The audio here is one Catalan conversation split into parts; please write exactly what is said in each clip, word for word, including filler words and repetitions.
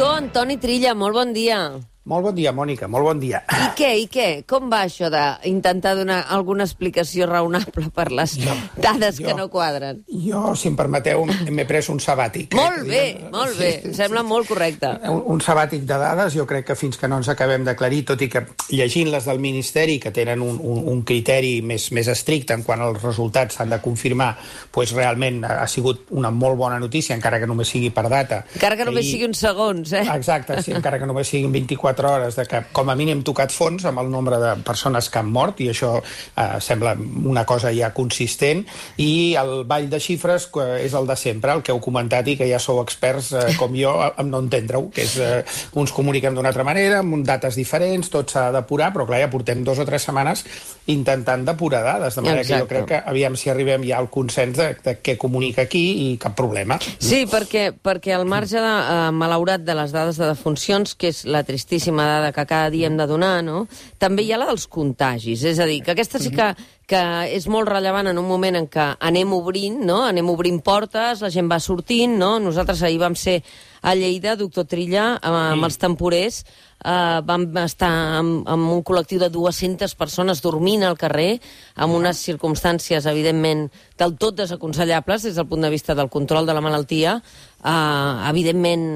Doctor Antoni Trilla, molt bon dia. Molt bon dia, Mònica, molt bon dia. I què, i què? Com va això d'intentar donar alguna explicació raonable per les jo, dades jo, que no quadren? Jo, si em permeteu, m'he pres un sabàtic. Molt bé, diguem, molt bé, sí, em sembla sí, molt correcte. Un, un sabàtic de dades, jo crec que fins que no ens acabem d'aclarir, tot i que llegint les del Ministeri, que tenen un, un, un criteri més, més estricte en quan els resultats s'han de confirmar, doncs realment ha sigut una molt bona notícia, encara que només sigui per data. Encara que només I, sigui uns segons, eh? Exacte, sí, encara que només siguin vint-i-quatre hores, de que com a mínim tocat fons amb el nombre de persones que han mort, i això eh, sembla una cosa ja consistent, i el ball de xifres és el de sempre, el que heu comentat i que ja sou experts, eh, com jo, en no entendre-ho, que és eh, uns comuniquem d'una altra manera, amb dates diferents, tot s'ha d'apurar, però clar, ja portem dos o tres setmanes intentant depurar dades, de manera Exacte. que jo crec que aviam si arribem ja al consens de, de què comunica aquí i cap problema. Sí, perquè, perquè al marge de, eh, malaurat de les dades de defuncions, que és la tristíssima dada que cada dia hem de donar, no? També hi ha la dels contagis, és a dir, que aquesta sí que, que és molt rellevant en un moment en què anem obrint, no? Anem obrint portes, la gent va sortint, no? Nosaltres ahir vam ser a Lleida, doctor Trilla, amb els temporers, eh, vam estar amb, amb un col·lectiu de dues-centes persones dormint al carrer, amb unes circumstàncies, evidentment, del tot desaconsellables des del punt de vista del control de la malaltia, eh, evidentment,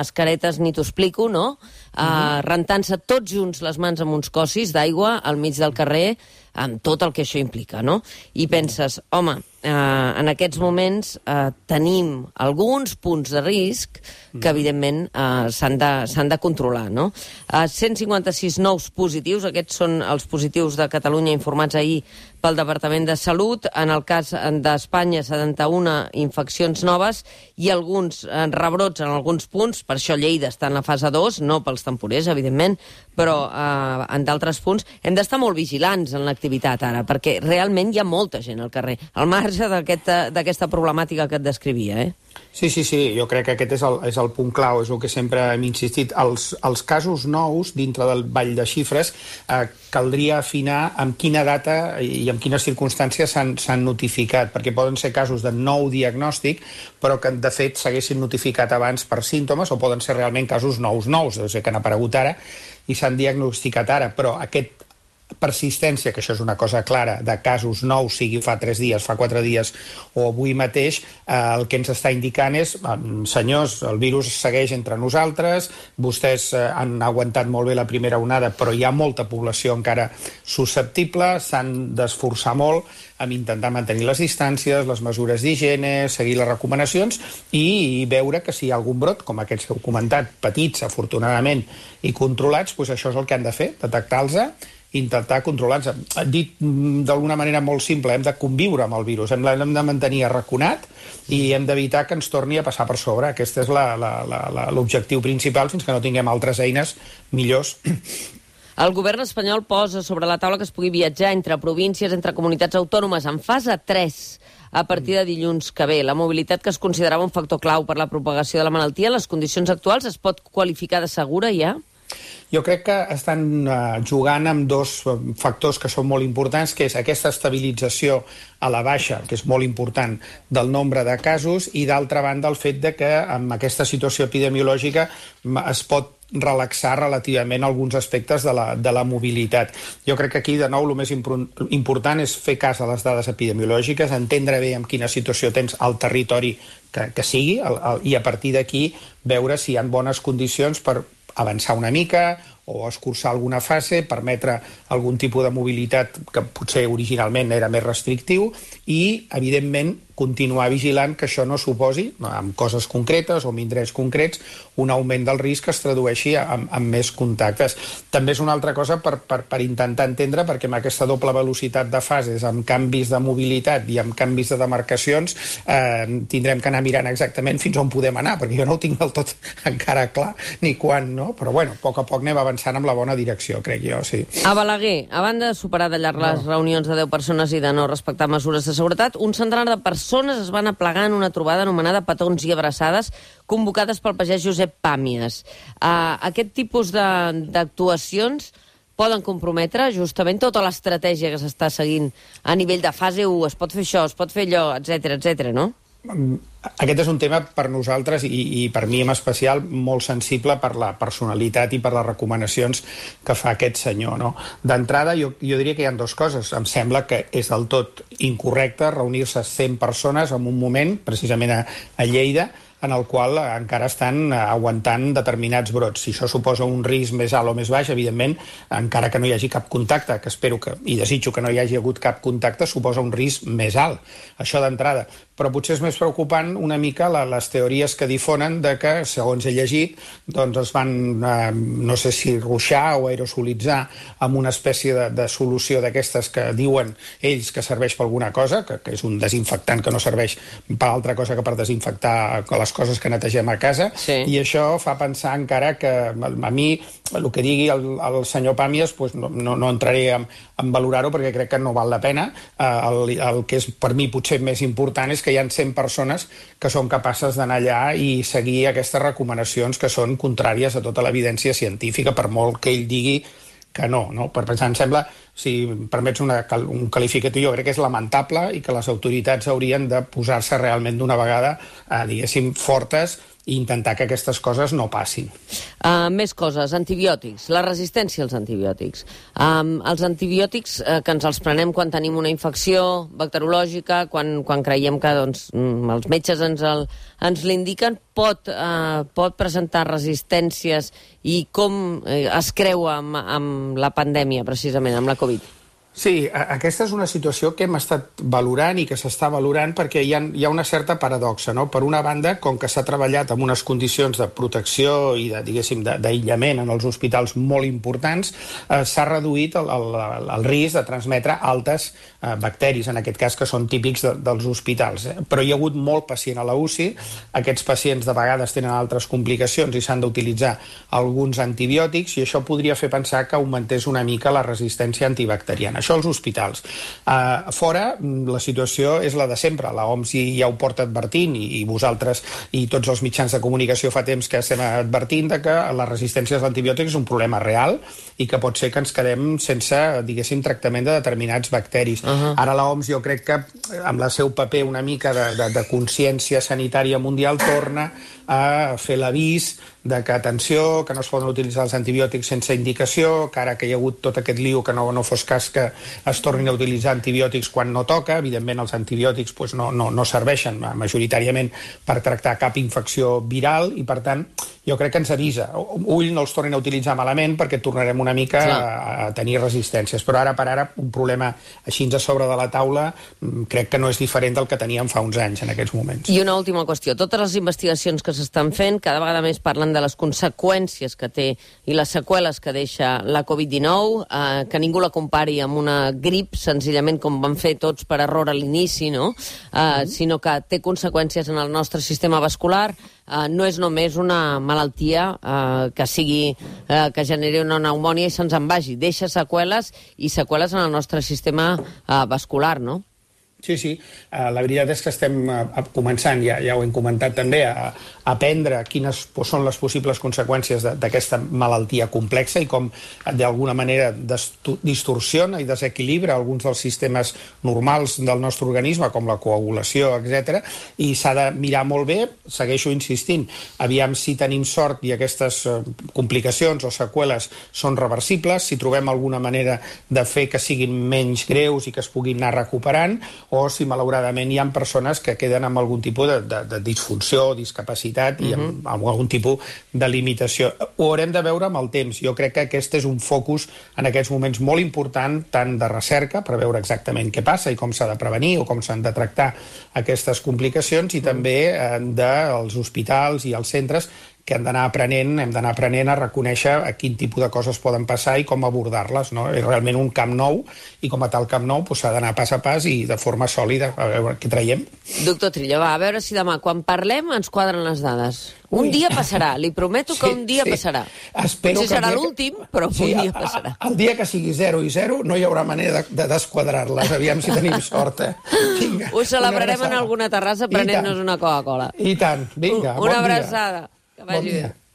mascaretes ni t'ho explico, no? Eh, uh-huh. Rentant-se tots junts les mans amb uns cossis d'aigua al mig del carrer, amb tot el que això implica, no? I penses, home, eh, en aquests moments eh, tenim alguns punts de risc que, evidentment, eh, s'han de, s'han de controlar, no? Eh, cent cinquanta-sis nous positius, aquests són els positius de Catalunya informats ahir pel Departament de Salut. En el cas d'Espanya, setanta-una infeccions noves i alguns eh, rebrots en alguns punts, per això Lleida està en la fase dos, no pels temporers, evidentment, però eh, en d'altres punts hem d'estar molt vigilants en l'activitat ara, perquè realment hi ha molta gent al carrer, al marge d'aquesta aquest, problemàtica que et descrivia, eh? Sí, sí, sí, jo crec que aquest és el, és el punt clau, és el que sempre hem insistit. Els, els casos nous dintre del ball de xifres eh, caldria afinar amb quina data i amb quines circumstàncies s'han notificat, perquè poden ser casos de nou diagnòstic, però que de fet s'haguessin notificat abans per símptomes, o poden ser realment casos nous nous, o sigui, que han aparegut ara i s'han diagnosticat ara, però aquest persistència, que això és una cosa clara, de casos nous, sigui fa tres dies, fa quatre dies o avui mateix, eh, el que ens està indicant és, senyors, el virus segueix entre nosaltres, vostès eh, han aguantat molt bé la primera onada, però hi ha molta població encara susceptible, s'han d'esforçar molt amb intentar mantenir les distàncies, les mesures d'higiene, seguir les recomanacions i, i veure que si hi ha algun brot, com aquests que heu comentat, petits, afortunadament, i controlats, doncs això és el que han de fer, detectar-los, intentar controlar-nos. Dit d'alguna manera molt simple, hem de conviure amb el virus, hem de mantenir arraconat i hem d'evitar que ens torni a passar per sobre. Aquest és l'objectiu principal fins que no tinguem altres eines millors. El govern espanyol posa sobre la taula que es pugui viatjar entre províncies, entre comunitats autònomes en fase tres a partir de dilluns que ve. La mobilitat, que es considerava un factor clau per la propagació de la malaltia, en les condicions actuals es pot qualificar de segura ja? Jo crec que estan uh, jugant amb dos factors que són molt importants, que és aquesta estabilització a la baixa, que és molt important, del nombre de casos, i d'altra banda el fet de que amb aquesta situació epidemiològica es pot relaxar relativament alguns aspectes de la, de la mobilitat. Jo crec que aquí, de nou, el més important és fer cas a les dades epidemiològiques, entendre bé en quina situació tens al territori que, que sigui, el, el, i a partir d'aquí veure si hi ha bones condicions per avançar una mica o escurçar alguna fase, permetre algun tipus de mobilitat que potser originalment era més restrictiu i, evidentment, continuar vigilant que això no suposi, amb coses concretes o amb indrets concrets, un augment del risc que es tradueixi amb, amb més contactes. També és una altra cosa per, per, per intentar entendre, perquè amb aquesta doble velocitat de fases, amb canvis de mobilitat i amb canvis de demarcacions, eh, tindrem que anar mirant exactament fins on podem anar, perquè jo no ho tinc del tot encara clar ni quan, no? Però, bueno, a poc a poc anem avançant amb la bona direcció, crec jo, sí. A Balaguer, a banda de superar de llarg les no. reunions de deu persones i de no respectar mesures de seguretat, un centenar de persones es van aplegar en una trobada anomenada Petons i Abraçades, convocades pel pagès Josep Pàmies. Uh, aquest tipus d'actuacions poden comprometre justament tota l'estratègia que s'està seguint a nivell de fase u, es pot fer això, es pot fer allò, etcètera, etcètera, no? Aquest és un tema per nosaltres i, i per mi en especial molt sensible per la personalitat i per les recomanacions que fa aquest senyor, no? D'entrada, jo, jo diria que hi ha dues coses. Em sembla que és del tot incorrecte reunir-se cent persones en un moment, precisament a, a Lleida, en el qual encara estan aguantant determinats brots. Si això suposa un risc més alt o més baix, evidentment, encara que no hi hagi cap contacte, que espero que, i desitjo que no hi hagi hagut cap contacte, suposa un risc més alt. Això d'entrada. Però potser és més preocupant una mica la, les teories que difonen de que, segons he llegit, doncs es van, eh, no sé si ruixar o aerosolitzar amb una espècie de, de solució d'aquestes que diuen ells que serveix per alguna cosa, que, que és un desinfectant que no serveix per altra cosa que per desinfectar les coses que netegem a casa, sí. I això fa pensar encara que a mi el que digui el, el senyor Pàmies pues no, no, no entraré en, en valorar-ho perquè crec que no val la pena. El, el que és per mi potser més important és que hi ha cent persones que són capaces d'anar allà i seguir aquestes recomanacions que són contràries a tota l'evidència científica, per molt que ell digui que no, no? Per pensar, em sembla, si em permets una, un qualificatiu, jo crec que és lamentable i que les autoritats haurien de posar-se realment d'una vegada, eh, diguéssim, fortes i intentar que aquestes coses no passin. Uh, més coses, antibiòtics, la resistència als antibiòtics. Um, els antibiòtics uh, que ens els prenem quan tenim una infecció bacteriològica, quan, quan creiem que doncs, els metges ens, el, ens l'indiquen, pot, uh, pot presentar resistències i com uh, es creua amb, amb la pandèmia, precisament, amb la Covid? Sí, aquesta és una situació que hem estat valorant i que s'està valorant perquè hi ha, hi ha una certa paradoxa, no? Per una banda, com que s'ha treballat amb unes condicions de protecció i de, diguéssim, d'aïllament en els hospitals molt importants, eh, s'ha reduït el, el, el risc de transmetre altes eh, bacteris, en aquest cas, que són típics de, dels hospitals. Eh? Però hi ha hagut molt pacient a la U C I, aquests pacients de vegades tenen altres complicacions i s'han d'utilitzar alguns antibiòtics i això podria fer pensar que augmentés una mica la resistència antibacteriana. Això als hospitals. Uh, fora, la situació és la de sempre. La O M S ja ho porta advertint i, i vosaltres i tots els mitjans de comunicació fa temps que estem advertint de que la resistència als antibiòtics és un problema real i que pot ser que ens quedem sense, diguéssim, tractament de determinats bacteris. Uh-huh. Ara la O M S jo crec que amb el seu paper una mica de, de, de consciència sanitària mundial torna a fer l'avís de que, atenció, que no es poden utilitzar els antibiòtics sense indicació, que ara que hi ha hagut tot aquest lío que no, no fos cas que es tornin a utilitzar antibiòtics quan no toca. Evidentment els antibiòtics pues, no, no, no serveixen majoritàriament per tractar cap infecció viral i per tant jo crec que ens avisa. Ull, no els tornin a utilitzar malament perquè tornarem una mica a, a tenir resistències, però ara per ara un problema així a sobre de la taula crec que no és diferent del que teníem fa uns anys en aquests moments. I una última qüestió, totes les investigacions que s'estan fent cada vegada més parlen de les conseqüències que té i les seqüeles que deixa la Covid dinou, eh, que ningú la compari amb una grip, senzillament com van fer tots per error a l'inici, no? Eh, mm. sinó que té conseqüències en el nostre sistema vascular. Uh, no és només una malaltia uh, que sigui uh, que generi una pneumònia i se'ns en vagi. Deixa seqüeles i seqüeles en el nostre sistema uh, vascular, no? Sí, sí. Uh, la veritat és que estem uh, començant, ja, ja ho hem comentat també, a, a aprendre quines són les possibles conseqüències d'aquesta malaltia complexa i com d'alguna manera distorsiona i desequilibra alguns dels sistemes normals del nostre organisme, com la coagulació, etcètera. I s'ha de mirar molt bé, segueixo insistint, aviam si tenim sort i aquestes uh, complicacions o seqüeles són reversibles, si trobem alguna manera de fer que siguin menys greus i que es puguin anar recuperant, o si malauradament hi ha persones que queden amb algun tipus de, de, de disfunció, discapacitat i amb, uh-huh. amb algun tipus de limitació. Ho haurem de veure amb el temps. Jo crec que aquest és un focus en aquests moments molt important, tant de recerca, per veure exactament què passa i com s'ha de prevenir o com s'han de tractar aquestes complicacions, i també eh, dels hospitals i els centres que hem d'anar aprenent, hem d'anar aprenent a reconèixer a quin tipus de coses poden passar i com abordar-les, no? És realment un camp nou i com a tal camp nou s'ha d'anar pas a pas i de forma sòlida a veure què traiem. Doctor Trillo, va, a veure si demà quan parlem ens quadren les dades. Un Ui. dia passarà, li prometo que sí, un dia sí. passarà. Espero Potser serà l'últim, que... però sí, un dia passarà. El dia que sigui zero i zero no hi haurà manera de, de desquadrar-les, aviam si tenim sort. Eh? Vinga, ho celebrarem en alguna terrassa prenent-nos una Coca-Cola. I tant, vinga, una bon abraçada. dia. Que vagi bon dia.